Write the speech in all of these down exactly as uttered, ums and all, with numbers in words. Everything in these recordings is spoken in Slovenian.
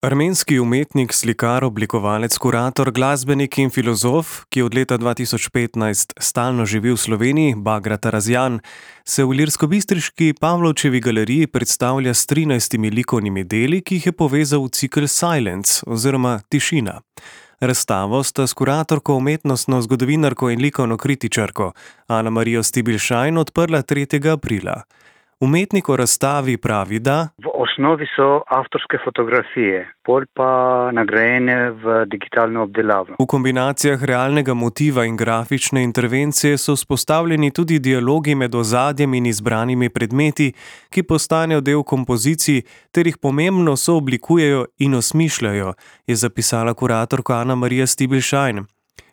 Armenski umetnik, slikar, oblikovalec, kurator, glasbenik in filozof, ki od leta dva tisoč petnajst stalno živi v Sloveniji, Bagrat Arazjan, se v ilirskobistriški Pavlovčevi galeriji predstavlja s trinajstimi likovnimi deli, ki jih je povezal v cikel Silence oziroma Tišina. Razstavo sta s kuratorko, umetnostno zgodovinarko in likovno kritičarko Ano Marijo Stibilšajn odprla tretjega aprila. Umetnik o razstavi pravi, da v osnovi so avtorske fotografije, pol pa nagrajene v digitalno obdelavo. V kombinacijah realnega motiva in grafične intervencije so vzpostavljeni tudi dialogi med ozadjem in izbranimi predmeti, ki postanejo del kompozicij ter jih pomembno sooblikujejo in osmišljajo, je zapisala kuratorka Ana Marija Stibilšajn.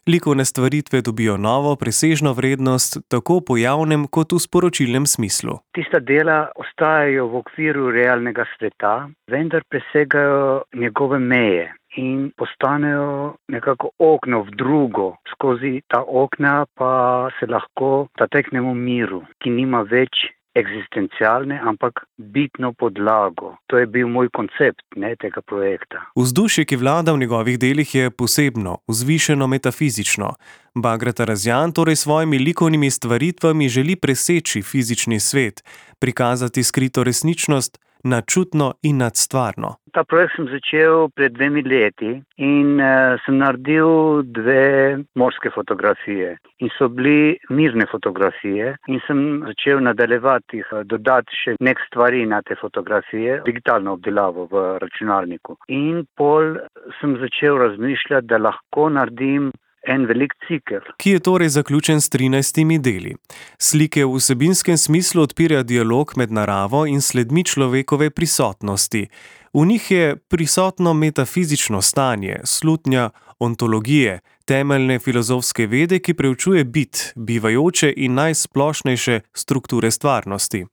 Likovne stvaritve dobijo novo, presežno vrednost tako v pojavnem kot v sporočilnem smislu. Tista dela ostajajo v okviru realnega sveta, vendar presegajo njegove meje in postanejo nekako okno v drugo. Skozi ta okna pa se lahko zateknemo miru, ki nima več eksistencialne, ampak bitno podlago. To je bil moj koncept ne, tega projekta. Vzdušje, ki vlada v njegovih delih, je posebno, vzvišeno metafizično. Bagrat Arazjan torej s svojimi likovnimi stvaritvami želi preseči fizični svet, prikazati skrito resničnost, nadčutno in nadstvarno. Ta projekt sem začel pred dvemi leti in uh, sem naredil dve morske fotografije. In so bili mirne fotografije in sem začel nadaljevati, dodati še nek stvari na te fotografije, digitalno obdelavo v računalniku. In pol sem začel razmišljati, da lahko naredim en velik cikel. Ki je torej zaključen s trinajstimi deli. Slike v vsebinskem smislu odpirajo dialog med naravo in sledmi človekove prisotnosti. V njih je prisotno metafizično stanje, slutnja ontologije, temeljne filozofske vede, ki preučuje bit, bivajoče in najsplošnejše strukture stvarnosti.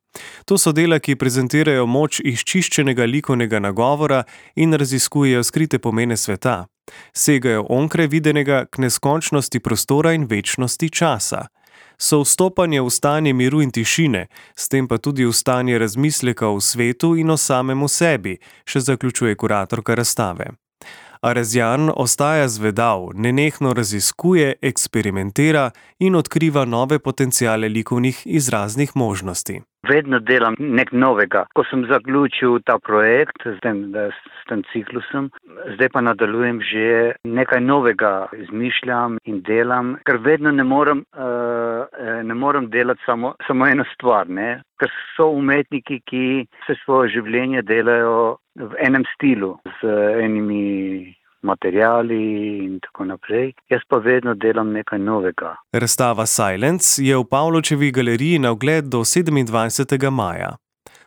To so dela, ki prezentirajo moč izčiščenega likovnega nagovora in raziskujejo skrite pomene sveta. Segajo onkraj videnega k neskončnosti prostora in večnosti časa. So vstopanje v stanje miru in tišine, s tem pa tudi v stanje razmisleka o svetu in o samemu sebi, še zaključuje kuratorka razstave. Arazjan ostaja zvedav, nenehno raziskuje, eksperimentira in odkriva nove potenciale likovnih izraznih možnosti. Vedno delam nek novega. Ko sem zaključil ta projekt s tem, s tem ciklusom, zdaj pa nadaljujem že nekaj novega, izmišljam in delam, ker vedno ne morem, uh, ne morem delati samo, samo eno stvar, ne? Ker so umetniki, ki vse svoje življenje delajo v enem stilu, z enimi materiali in tako naprej. Jaz pa vedno delam nekaj novega. Razstava Silence je v Pavlovčevi galeriji na ogled do sedemindvajsetega maja.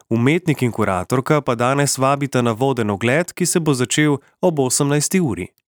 Umetnik in kuratorka pa danes vabita na voden ogled, ki se bo začel ob osemnajsti uri.